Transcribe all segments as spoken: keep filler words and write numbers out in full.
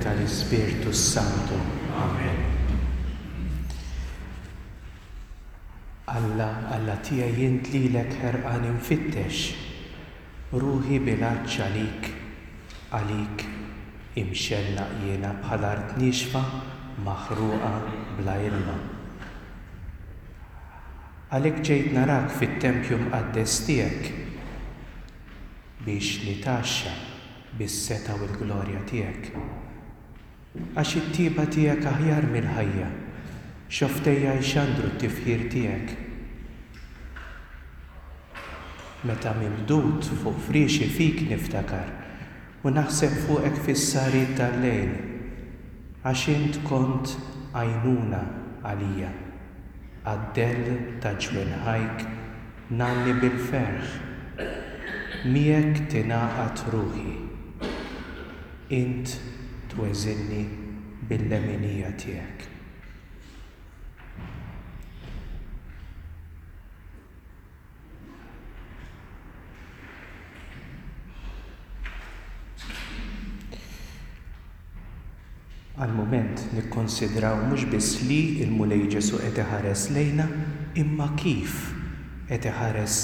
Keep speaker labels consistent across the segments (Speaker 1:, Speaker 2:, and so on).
Speaker 1: Tal-Ispirtu Santu. Amen. Alla, Alla tiegħi int lilek ħerqan infittex, ruħi bil-għatx għalik, għalik imxennaq jiena bħal art niexfa maħruqa bla ilma. Għalhekk ġejt narak fit-tempju mqaddes tiegħek biex nitgħaxxa bis-setgħa u l-glorja tiegħek. Għax it-tiba tiegħek aħjar mill-ħajja, xofftejja jxandru t-tifħir tiegħek. Meta mimdud fuq friexi fik niftakar u naħseb fuqek fis-sahriet tal-lejl, għax int kont għajnuna għalija, għad-dell ta' ġwinħajk ngħanni bil-ferħ, miegħek tingħaqad ruħi. Int tweżinni bil-leminija tiegħek. Għal mument nikkonsidraw mhux biss li l-Mulej Ġesù qed iħares lejna, imma kif qed iħares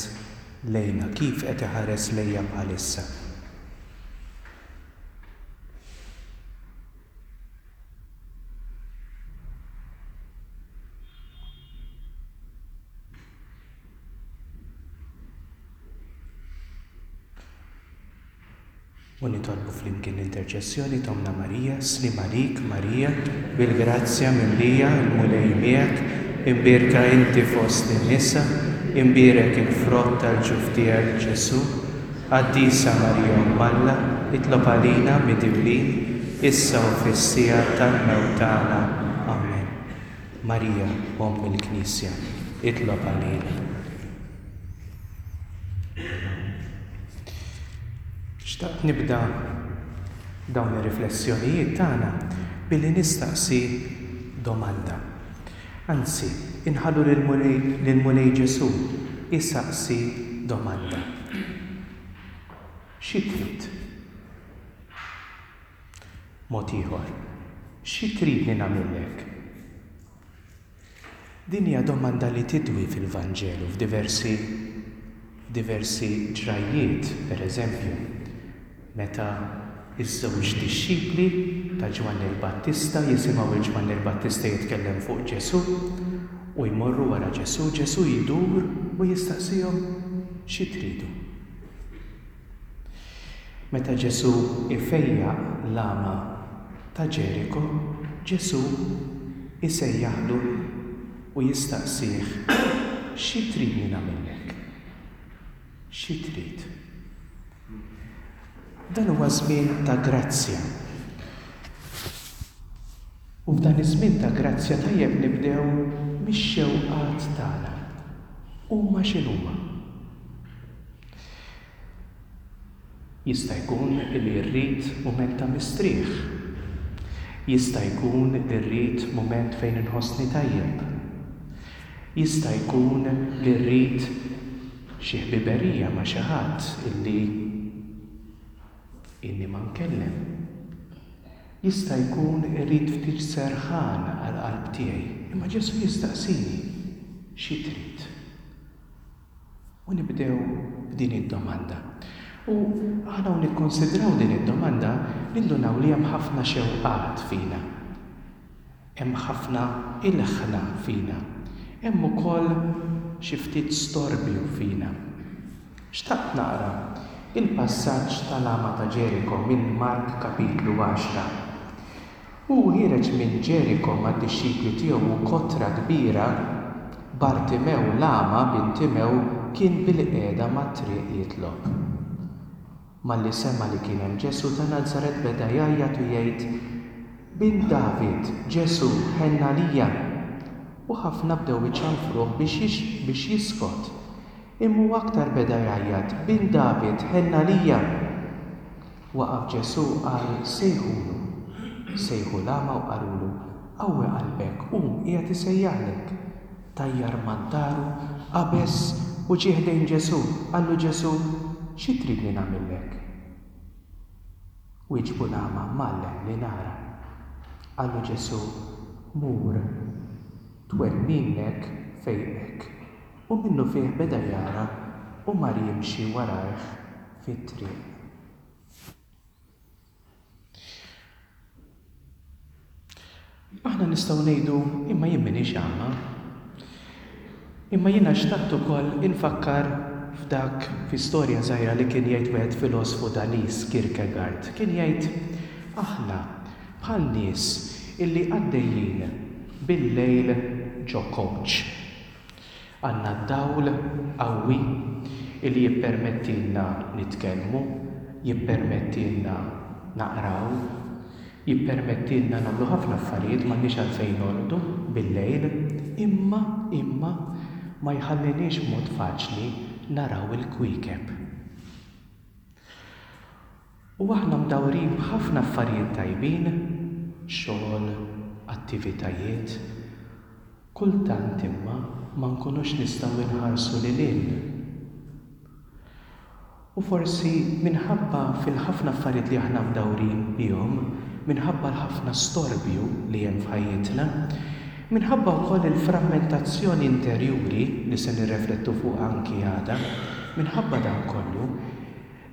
Speaker 1: lejna, kif qed iħares lejja bħalissa. U nitolbu flimkien l-interċessjoni t'Ommna Marija, sliem għalik Marija, bil-grazzja mimlija l-Mulej miegħek, imbierka inti fost in-nisa, imbierek il-frott tal-ġuf tiegħek Ġesù. Qaddisa Marija Omm Alla, itlob għalina midinbin, issa u fis-siegħa tal-mewt tagħna. Amen. Marija, Omm il-Knisja, itlob għalina. Xtaqt nibda dawn ir-riflessjonijiet tagħna billi nistaqsi domanda. Anzi, inħallu lill-Mulej Ġesù isaqsi domanda. Xi trid? Mod ieħor, xi tridni nagħmillek? Din hija domanda li tidwi fil-Vanġelu f'diversi diversi ġrajjiet, per eżempju, meta iż-żewġ dixxipli ta' Ġwanni l-Battista jisimgħu lil Ġwanni l-Battista jitkellem fuq Ġesù u jmorru wara Ġesù, Ġesù jdur u jistaqsihom xi tridu. Meta Ġesù ifejjaq l-għama ta' Ġeriko, Ġesù isejjaħlu u jistaqsih xi tridni nagħmillek? Xi trid? Dan huwa żmien ta' grazzja. U f'dan iż-żmien ta' grazzja tajjeb nibdew mix-xewqat tagħna. Huma x'inhuma? Jista' jkun li rrid mument ta' mistrieħ. Jista' jkun li rrid mument fejn inħossni tajjeb. Jista' jkun li rrid xi ħbiberija ma' xi ħadd illi inni ma nkellem. Jista' jkun irrid ftit serħan għall-qalb tiegħi, imma Ġesù jistaqsini xi trid. U nibdew b'din id-domanda. U aħna u nikkonsidraw din id-domanda, nindunaw li hemm ħafna xewqat fina. Hemm ħafna ilħna fina. Hemm ukoll xi ftit storbju fina. Xtaqt naqra il-passaġġ tal-għama ta' Ġeriko minn Mark kapitlu għaxra. Hu ħiereġ minn Ġeriko mad-dixxipli tiegħu u kotra kbira, Bartimew l-għama bin Timew kien bil-qiegħda mat-triq jitlob. Malli sema' li kien hemm Ġesù ta' Nazaret beda jgħajjat u jgħid, Bin David, Ġesù, ħenn għalija. U ħafna bdew iċanfruh biex biex jiskot. Imma hu aktar beda jgħajjat, Bin David, ħenn għalija. Waqaf Ġesù qal, Sejħulu. Sejħu l-għama u qalulu, Qawwi qalbek, qum, qiegħed isejjaħlek. Tajjar maddaru, qabeż u ġie ħdejn Ġesù. Qallu Ġesù, Xi tridni nagħmillek? Wieġbu l-għama, Mgħallem, li nara. Qallu Ġesù, Mur, twemminek fejqek. U minnufih beda jara u mar jimxi warajh fit-triq. Aħna nistgħu ngħidu, imma jien m'iniex agħma. Imma jiena xtaqt ukoll infakkar f'dak fi storja żgħira li kien jgħid wieħed filosfu Daniż, Kierkegaard. Kien jgħid, aħna bħal nies illi għaddejjin bil-lejl ġo coach. Għandna d-dawl qawwi illi jippermettilna nitkellmu, jippermettilna naqraw, jippermettilna nagħmlu ħafna affarijiet, m'għandniex għalfejn norqdu bil-lejl, imma, imma ma jħalliniex b'mod faċli naraw il-kwiekeb. U aħna mdawrin b'ħafna affarijiet tajbin, xogħol, attivitajiet, kultant imma ma nkunux nistgħu nħarsu lil hinn. U forsi minħabba fil-ħafna affarijiet li aħna mdawrin bihom, minħabba l-ħafna storbju li hemm f'ħajjitna, minħabba wkoll il-frammentazzjoni interjuri li se nirreflettu fuq anki għada, minħabba dan kollu,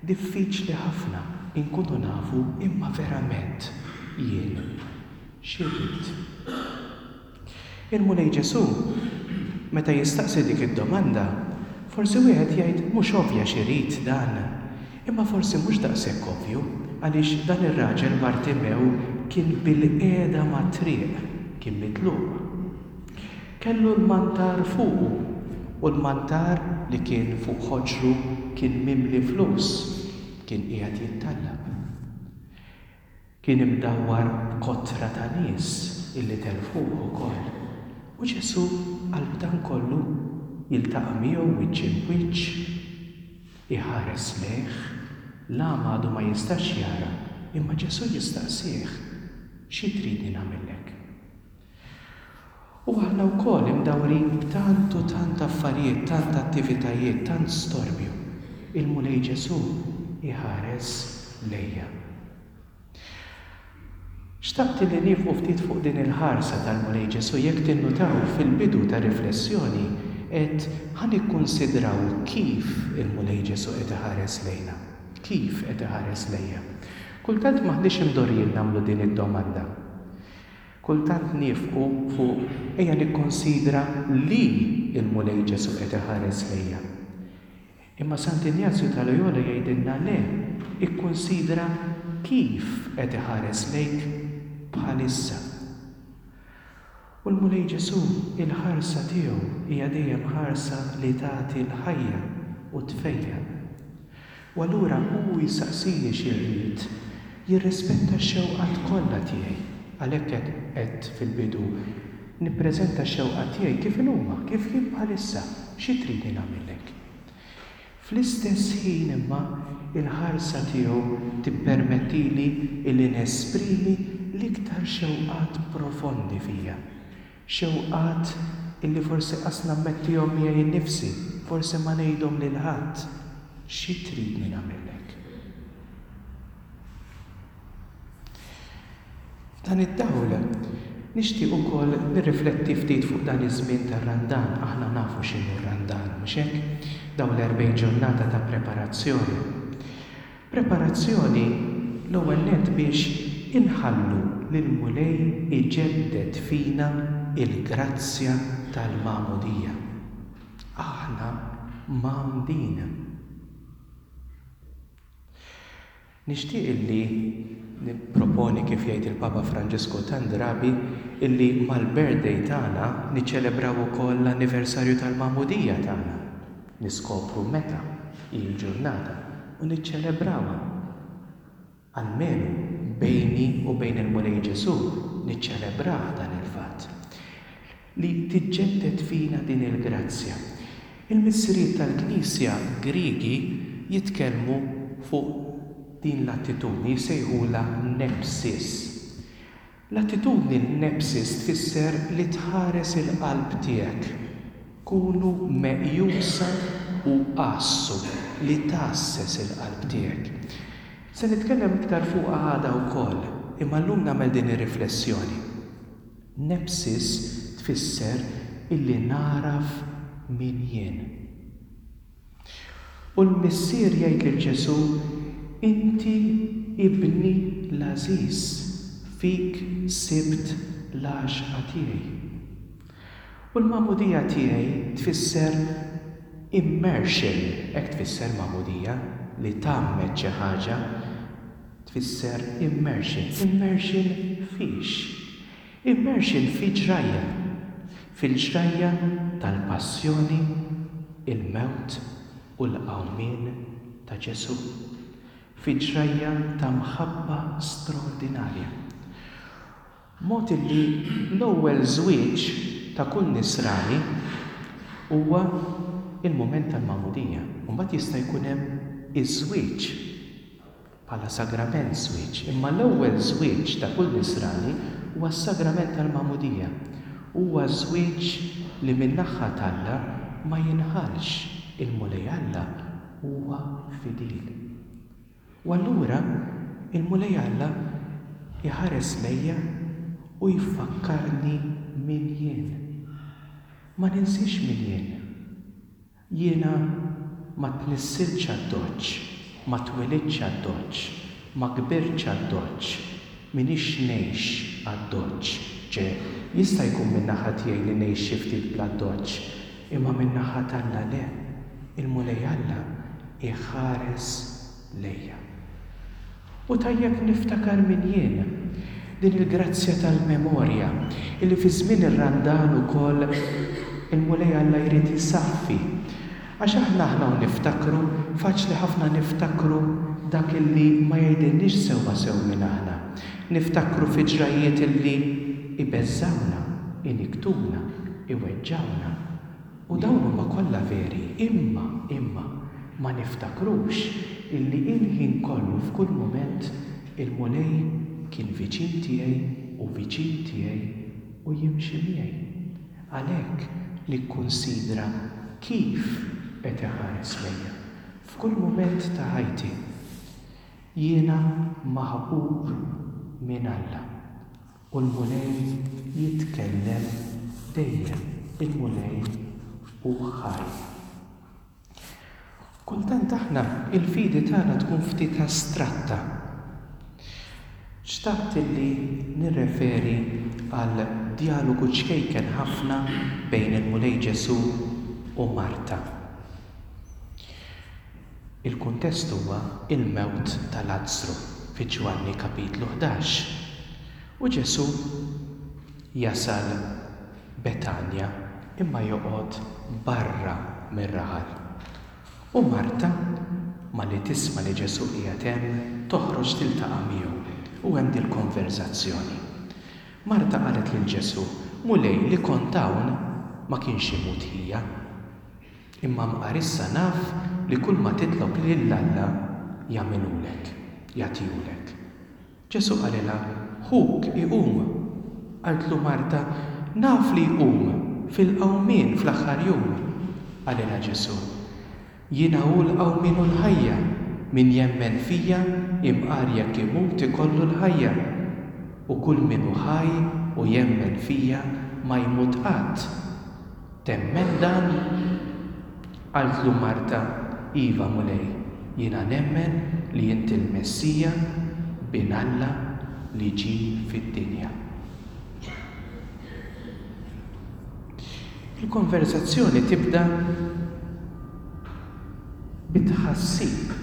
Speaker 1: diffiċli ħafna inkunu nafu imma verament jien x'irrid. Il-Mulej Ġesù, meta jistaqsi dik id-domanda, forsi wieħed jgħid mhux ovvja x'irid dan, imma forsi mhux daqshekk ovvju, għaliex dan ir-raġel Bartimew kien bil-qiegħda mat-triq, kien mitluq. Kellu l-mantar fuqu, u l-mantar li kien fuq ħoġru kien mimli flus, kien qiegħed jittallab. Kien imdawwar b'kotra ta' nies illi telfuh ukoll. U Ġesù qalb dan kollu jiltaqa' miegħu wiċċ imb wiċċ, iħares lejh, l-għama għadu ma jistax jara, imma Ġesù jistaqsih, xi tridni nagħmellek? U aħna wkoll imdawrin b'tant u tant affarijiet, tant attivitajiet, tant storbju. Il-Mulej Ġesù iħares lejja. Xtaqt li nieqfu ftit fuq din il-ħarsa tal-Mulej Ġesù. Jekk tinnutaw fil-bidu ta' riflessjoni qed ħa nikkunsidraw kif il-Mulej Ġesù qed iħares lejna. Kif qed iħares lejja? Kultant m'aħniex imdorrijin nagħmlu din id-domanda. Kultant nifqu fuq ejja nikkonsidra li il-Mulej Ġesù qed iħares lejja. Imma Sant'Injazju ta' Loyola jgħidilna le, ikkunsidra kif qed iħares lejk bħalissa. U l-Mulej Ġesù, il-ħarsa tiegħu hija dejjem ħarsa li tagħti l-ħajja u tfejjaq. U allura hu jistaqsini xi rrid, jirrispetta x-xewqat kollha tiegħi. Għalhekk qed fil-bidu nippreżenta x-xewqat tiegħi kif inhuma, kif jien bħalissa, xi tridni nagħmellek. Fl-istess ħin imma il-ħarsa tiegħu tippermettili illi nesprimi l-iktar xewqat profondi fija. Xewqat illi forsi qas nammettihom miegħi nnifsi, forsi ma ngħidhom lil ħadd. Xi tridni nagħmellek? F'dan id-dawl nixtieq ukoll nirrifletti ftit fuq dan iż-żmien tar-Randan. Aħna nafu x'inhu r-Randan, mhux hekk? Dawn l-erbgħin ġurnata ta' preparazzjoni. Preparazzjoni l-ewwel nett biex inħallu lill-Mulej iġedded fina il-grazzja tal-magħmudija. Aħna mgħammdin. Nixtieq illi nipproponi, kif jgħid il-Papa Franġisku tant drabi, illi mal-birthday tagħna niċċelebraw ukoll l-anniversarju tal-magħmudija tagħna. Niskopru meta hi l-ġurnata u niċċelebrawha. Almenu bejni u bejn il-Mulej Ġesù niċċelebrah dan il-fatt. Li tiġġedded fina din il-grazzja. Il-missirijiet tal-Knisja Griegi jitkellmu fuq din l-attitudni, jsejħulha nepsis. L-attitudni nepsis tfisser li tħares il-qalb tiegħek. Kunu meqjusa u għassu, li tgħasses il-qalb tiegħek. Se nitkellem iktar fuqha għada wkoll. Imma llum nagħmel din ir-riflessjoni. Nepsis tfisser illi nagħraf min jien. U l-Missier jgħid lil Ġesù, inti ibni l-għażiż, fik sibt l-għaxqa tiegħi. U l-magħmudija tiegħi tfisser immersion, hekk tfisser magħmudija, li tgħammed xi ħaġa, tfisser immersion. Immersion fiex? Immersion fi ġrajja. Fil-ġrajja tal-passjoni, il-mewt u l-qawmien ta' Ġesù. Fi ġrajja ta' mħabba straordinarja. Mod illi l-ewwel żwieġ ta' kull nisrani huwa il-mument tal-magħmudija. U mbagħad jista' jkun hemm iż-żwieġ bħala sagrament żwieġ. Imma l-ewwel żwieġ ta' kull nisrani huwa s-sagrament tal-magħmudija. Huwa żwieġ li min-naħa t'Alla ma jinħalx. Il-Mulej Alla huwa fidil. U allura il-Mulej Alla iħares lejja u jfakkarni min jien. Ma ninsiex min jien. Jiena ma tnissiltx għad-doċċ, ma twelidtx għad-doċċ, ma kbirtx għad-doċċ, minix ngħix għad-doċċ. Ġe, jista' jkun min-naħa tiegħi li ngħix xi ftit bla doċċ, imma min-naħa t'Alla le. Il-Mulej Alla iħares lejja. U tajjeb niftakar min jien. Din il-grazzja tal-memorja, illi fi żmien ir-Randan ukoll il-Mulej Alla jrid isaffi. Għax aħna aħna u niftakru, faċli ħafna niftakru dak illi ma jgħidilniex sewwa sew minn aħna. Niftakru fi ġrajiet illi ibeżżawna, iniktuna, iweġġawna. U dawn huma kollha veri, imma, imma ma niftakrux illi il-ħin kollu f'kull mument il-Mulej kien viċin tiegħi u viċin tiegħi u jimxi miegħi. Għalhekk nikkunsidra kif qed iħares lejja. F'kull mument ta' ħajti jiena maħbub minn Alla. U l-Mulej jitkellem dejjem. Il-Mulej hu ħaj. Kultant aħna il-fidi tagħna tkun ftit astratta. Xtaqt illi nirreferi għal dialogu ċkejken ħafna bejn il-Mulej Ġesù u Marta. Il-kuntest huwa il-mewt ta' Lazzru fi Ġwanni kapitlu ħdax. U Ġesù jasal Betanja imma joqgħod barra mir-raħal. U Marta, malli tisma' li Ġesù qiegħed hemm, toħroġ tiltaqa' miegħu. U hemm dil-konverzazzjoni. Marta qalet lil Ġesù, Mulej, li kont hawn ma kienx imut ħija. Imma mqar issa naf li kull ma titlob lil Alla jagħmilulek, jagħtihulek. Ġesù qalilha, ħuk iqum. Qaltlu Marta, naf li jqum fil-qawmien fl-aħħar jum. Qalilha Ġesù, jiena hu l-qawmien u l-ħajja, min jemmen fija imqar jekk imut ikollu l-ħajja. U kull min hu ħaj u jemmen fija ma jmut qatt. Temmen dan? Qaltlu Marta, iva Mulej, jiena nemmen li inti l-Messija, bin Alla li ġie fid-dinja. Il-konverzazzjoni tibda bitħassib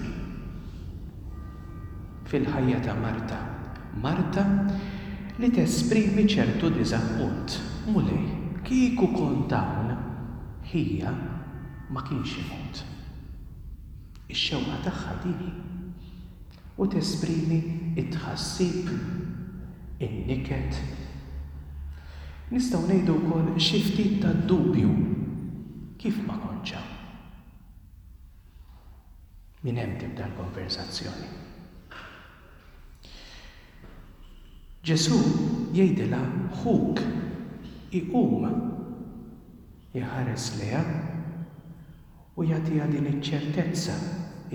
Speaker 1: fil-ħajja ta' Marta. Marta li tesprimi ċertu diżappunt. Mulej, kieku kont hawn, ħija ma kienx imut. Ix-xewqa tagħha din. U tesprimi it-tħassib, in-niket. Nistgħu ngħidu wkoll xi ftit ta' dubju. Kif ma kontx hawn? Minn hemm tibda l-konversazzjoni. Ġesù jgħidilha ħuk iqum. Iħares lejha u jagħtiha din iċ-ċertezza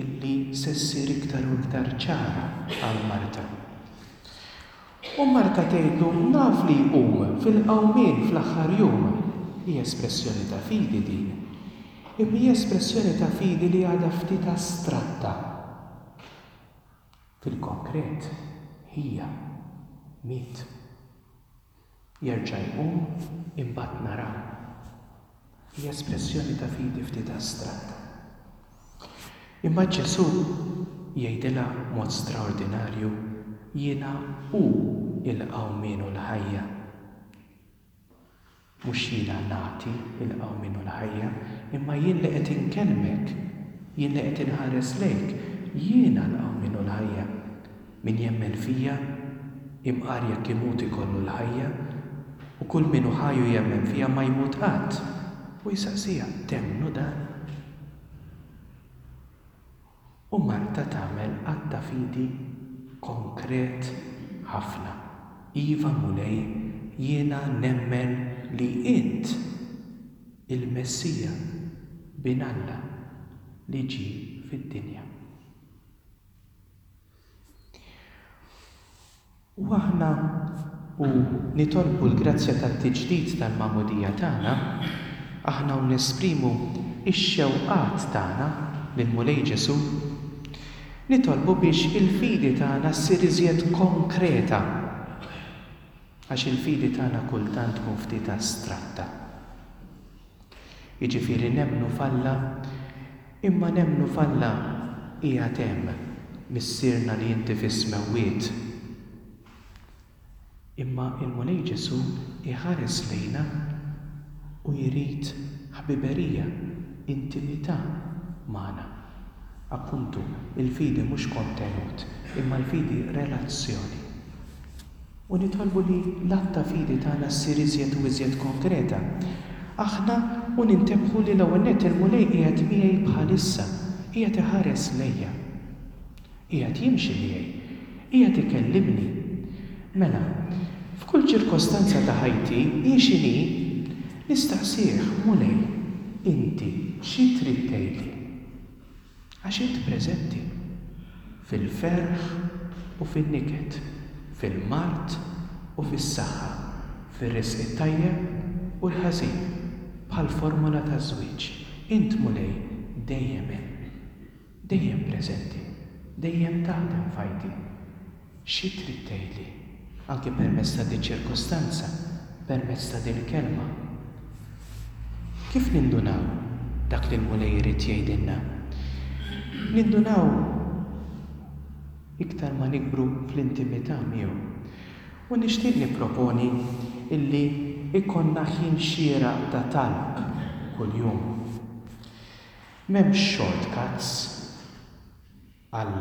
Speaker 1: illi se ssir iktar u iktar ċara għal Marta. U Marta tgħidlu, naf li jqum fil-qawmien fl-aħħar jum. Hija espressjoni ta' fidi din. Imma hija espressjoni ta' fidi li għadha ftit astratta. Fil-konkret, hija miet. Jerġa' jqum, imbagħad naraw. Hija espressjoni ta' fidi ftit astratta. Imma Ġesù jgħidilha mod straordinarju, jiena hu il-qawmien u l-ħajja. Mhux jiena nagħti il-qawmien u l-ħajja, imma jien li qed inkellmek, jien li qed inħares lejk, jiena l-qawmien u l-ħajja. Min jemmen fija, imqar jekk imut ikollu l-ħajja, u kull min hu ħaj u jemmen fija ma jmut qatt. U jsaqsiha, temmnu dan? U Marta tagħmel att ta' fidi konkret ħafna. Iva Mulej, jiena nemmen li int il-Messija, bin Alla, li ġie fid-dinja. U aħna u nitolbu l-grazzja tat-tiġdid tal-magħmudija tagħna, aħna u nesprimu x-xewqat tagħna lill-Mulej Ġesù, nitolbu biex il-fidi tagħna ssir iżjed konkreta, għax il-fidi tagħna kultant tkun ftit astratta. Jiġifieri nemmnu f'Alla, imma nemmnu f'Alla qiegħed hemm, Missierna li inti fis-smewwiet. Imma l-Mulej Ġesù jħares lejna u jrid ħbiberija, intimità magħna. Appuntu, il-fidi mhux kontenut, imma l-fidi relazzjoni. U nitolbu li l-att ta' fidi tagħna ssir iżjed u iżjed konkreta. Aħna u nintebħu li l-ewwel nett il-Mulej qiegħed miegħi bħalissa, qiegħed iħares lejja. Qiegħed jimxi miegħi, qiegħed ikellimni. Mela, f'kull ċirkostanza ta' ħajti, hi x'inhi, nistaqsih, Mulej, inti xi trid tgħidli? Għax int preżenti fil-ferħ u fin-niket, fil-mard u fis-saħħa, fir-risq it-tajjeb u l-ħażin, bħall-formola taż-żwieġ. Int, Mulej, dejjem hemm, dejjem preżenti, dejjem taħdem f'ħajti. Xi trid tgħidli? Anki permezz ta' diċ-ċirkostanza, permezz ta' dil-kelma. Kif nindunaw dak li l-Mulej irid jgħidilna? Nindunaw iktar ma nikbru fl-intimità miegħu. U nixtieq nipproponi illi ikollna ħin xieraq ta' talb kuljum. M'hemmx shortcuts għal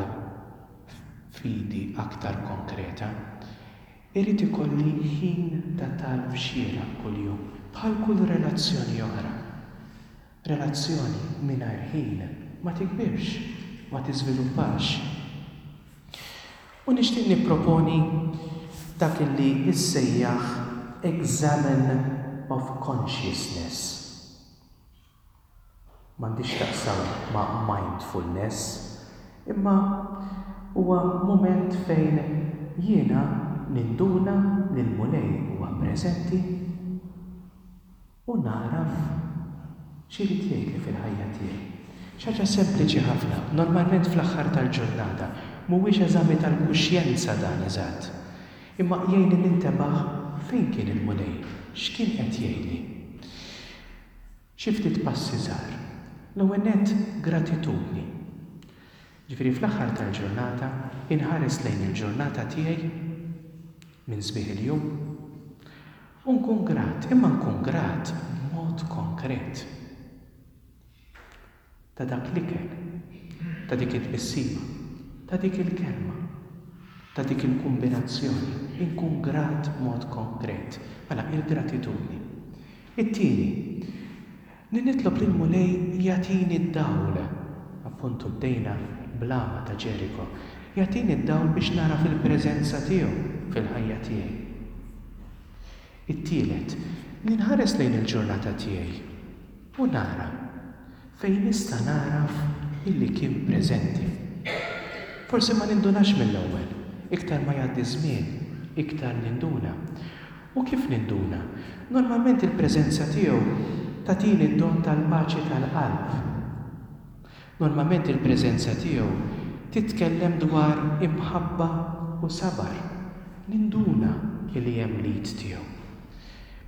Speaker 1: fidi aktar konkreta. Irid ikolli ħin ta' talb xieraq kuljum, bħal kull relazzjoni oħra. Relazzjoni mingħajr ħin ma tikbirx, ma tiżviluppax. U nixtieq nipproponi dak li issejjaħ examen of consciousness. M'għandix taqsam ma' mindfulness, imma huwa mument fejn jiena ninduna li l-Mulej huwa preżenti u naraf x'irid jgħidli fil-ħajja tiegħi. Xi ħaġa sempliċi ħafna, normalment fl-aħħar tal-ġurnata, mhuwiex eżami tal-kuxjenza dan eżatt, imma jgħinni nintebaħ fejn kien il-Mulej, x'kien qed jgħidli. Xi ftit passi żgħar. L-ewwel nett gratitudni. Ġifieri fl-aħħar tal-ġurnata inħares lejn il-ġurnata tiegħi minn sbieħ il-jum u nkun grat, imma nkun grat b'mod konkret. Ta' dak l-ikel, ta' dik it-tbissima, ta' dik il-kelma, ta' dik il-kombinazzjoni, inkun grat b'mod konkret. Mela, il-gratitudni. It-tieni, li nitlob lill-Mulej jagħtini d-dawl. Appuntu bdejna bl-għama ta' Ġeriko. Jagħtini d-dawl biex nara fil-preżenza tiegħu fil-ħajja tiegħi. It-tielet, li nħares lejn il-ġurnata tiegħi u nara fejn nista' naraf illi kien preżenti. Forsi ma nindunax mill-ewwel, iktar ma jgħaddi żmien iktar ninduna. U kif ninduna? Normalment il-preżenza tiegħu tagħtini d-don tal-paċi tal-qalb. Normalment il-preżenza tiegħu titkellem dwar imħabba u sabar. Ninduna li hemm l-id tiegħu.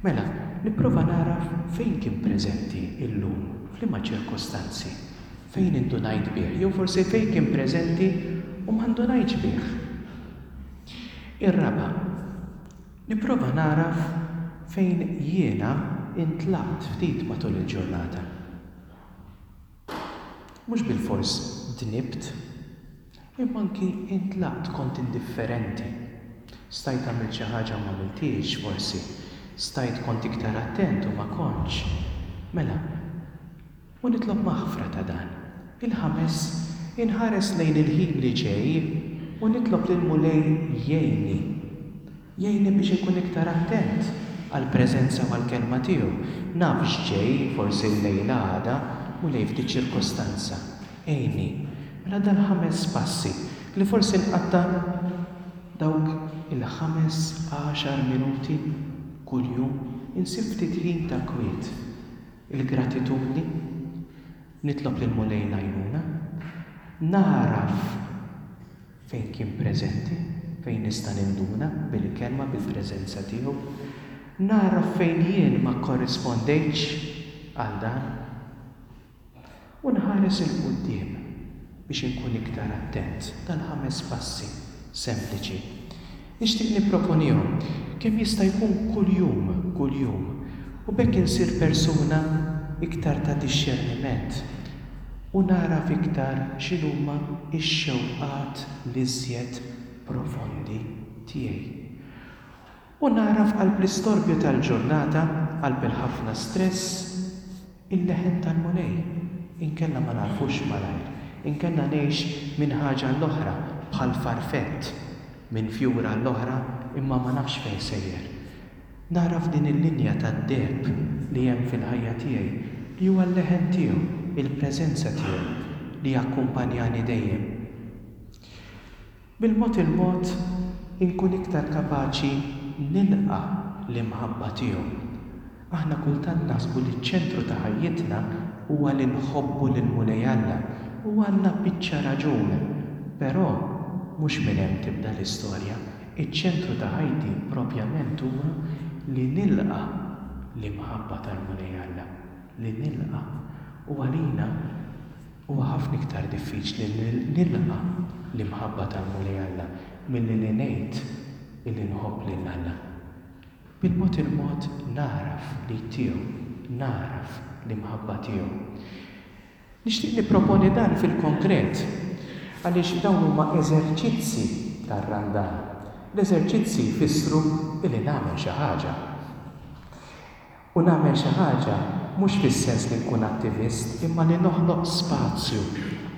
Speaker 1: Mela, nipprova nagħraf fejn kien preżenti illum, f'liema ċirkostanzi, fejn indunajt bih, jew forsi fejn kien preżenti u ma ndunajtx bih. Ir-raba', nipprova nagħraf fejn jiena intlaqt ftit matul il-ġurnata. Mhux bilfors dnibt, imma anki intlaqt, kont indifferenti. Stajt għamilt xi ħaġa u ma għamilthiex forsi. Stajt kont iktar attent u ma kontx. Mela, u nitlob maħfra ta' dan. Il-ħames, inħares lejn il-ħin li ġej u nitlob lill-Mulej jgħinni. Jgħinni biex inkun iktar attent għall-preżenza u għall-kelma tiegħu. Naf x'ġej, forsi llejla għada, Mulej f'di ċirkostanza. Għinni. Mela dal-ħames passi li forsi nqatta' dawk il-ħames għaxar minuti kuljum insib ftit ħin ta' kwiet. Il-gratitudni, nitlob lill-Mulej l-għajnuna, nagħraf fejn kien preżenti, fejn nista' ninduna bil-kelma, bil-preżenza tiegħu, nagħraf fejn jien ma kkorrispondejtx għal dan u nħares 'il quddiem biex inkun iktar attent. Dal-ħames passi sempliċi. Nixtieq nipproponihom kemm jista' jkun kuljum, kuljum, u b'hekk insir persuna iktar ta' dixxerniment u nagħraf iktar x'inhuma x-xewqat l-iżjed profondi tiegħi. U nagħraf qalb l-istorbju tal-ġurnata, qalb il-ħafna stress, il-leħen tal-Mulej. Inkella ma nagħrfux malajr, inkella ngħix minn ħaġa l-oħra bħal farfett, minn fjura l-oħra, imma ma nafx fejn sejjer. Nagħraf din il-linja tad-deheb li hemm fil-ħajja tiegħi, li huwa l-leħen tiegħu, il-preżenza tiegħu li jakkumpanjani dejjem. Bil-mod il-mod inkun iktar kapaċi nilqa' l-imħabba tiegħu. Aħna kultant naħsbu li ċ-ċentru ta' ħajjitna huwa li nħobbu lil Mulej Alla, u għandna biċċa raġun, però mhux minn hemm tibda l-istorja. Iċ-ċentru ta' ħajti propjament huwa li nilqa' l-imħabba tal-Mulej Alla, li nilqa'. U għalina huwa ħafna iktar diffiċli li nilqa' l-imħabba tal-Mulej Alla milli li ngħid illi nħobb lil Alla. Bil-mod il-mod nagħraf li tiegħu, nagħraf l-imħabba tiegħu. Nixtieq nipproponi dan fil-konkret, għaliex dawn huma eżerċizzi tar-Randan. L-eżerċizzi jfissru illi nagħmel xi ħaġa. U nagħmel xi ħaġa mhux fis-sens li nkun attivist, imma li noħloq spazju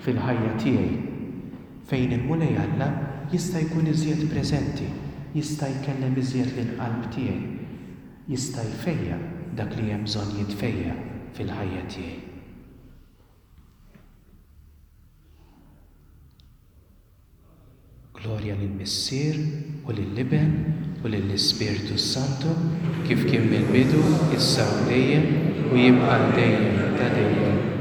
Speaker 1: fil-ħajja tiegħi fejn il-Mulej Alla jista' jkun iżjed preżenti, jista' jkellem iżjed lill-qalb tiegħi, jista' jfejjaq dak li hemm bżonn jitfejjaq fil-ħajja tiegħi. Glorja lill-Missier u lill-Iben u lill-Ispirtu s-Santu, kif kien mill-bidu, issa u dejjem, u jibqa' għal dejjem ta' dejjem.